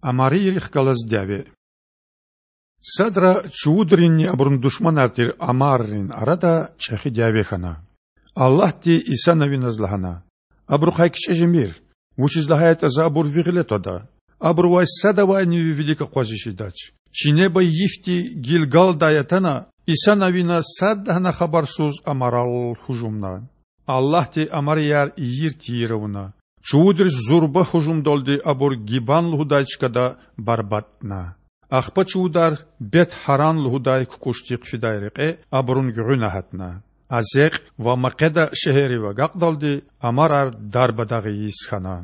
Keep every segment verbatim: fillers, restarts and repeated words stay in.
Амарийрихъ галаз дяве. Садра чувудринни абурун душманар тир амаррин арада чІехи дяве хьана. Аллагьди Иса Навиназ лагьана: Абурухъай кичІе жемир, вучиз лагьайтІа За абур ви гъиле твада. Абурувай садавайни ви вилик акъвазиз жедач. Чи неба йифди Гилгалдай атана, Иса Навина садлагьана хабарсуз амарал гьужумна. Аллагьди амарияр ийир-тийир авуна. Чувудриз зурба гьужумдалди абур Гибан лугьудай чкада барбатІна. Ахпа чувудар Бет-Гьаран лугьудай кукІушдихъ фидай рекье абурун гуьгъуьна гьатна. Азекь ва Макъеда шегьеррив агакьдалди амарар дарбадагъ ийиз хьана.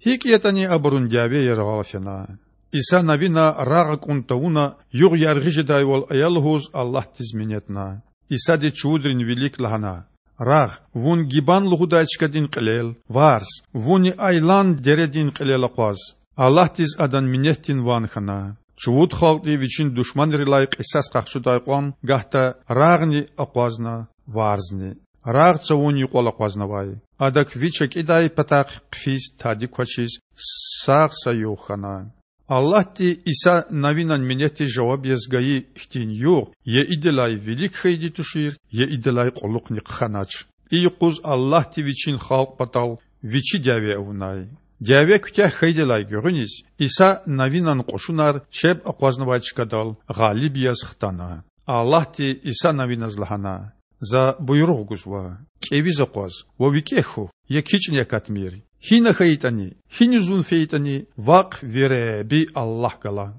ГьикІ ятІани абурун дяве яргъал фена. Иса Навина рагъ акІун тавуна, югъ яргъи жедайвал ая лугьуз Аллагьдиз минетна. Исади чувудрин вилик лагьана: Рагъ, вун Гибан лугьудай чкадин кьилел, варз, вунни Айлан дередин кьилел акъваз. Аллагьдиз адан минетдин ван хьана. Чувуд халкьди вичин душманрилай кьисас къахчудай кьван гагьда рагъни акъвазна, варзни. Рагъ цавун юкьвал акъвазнавай. Адак вич акІидай патахъ хъфиз тади квачиз сагъ са югъ хьана. Аллагьди Иса Навинан минетдиз жаваб яз гайи хьтин югъ я идалай вилик хьайиди тушир, я идалай кьулухъни хъхьанач. И юкъуз Аллагьди Вичин халкь патал Вичи дяве авунай. Дяве куьтягь хьайидалай гуьгъуьниз Иса Навинан кьушунар чеб акъвазнавай чкадал гъалиб яз хтана. Аллагьди Иса Навиназ лагьана: За буйругъ гузва: кІевиз акъваз ва викІегь хьухь, я кичІни акатмир. Гьина хьайитІани, гьиниз вун фейитІани, вахъ ви Худа Аллагь гала.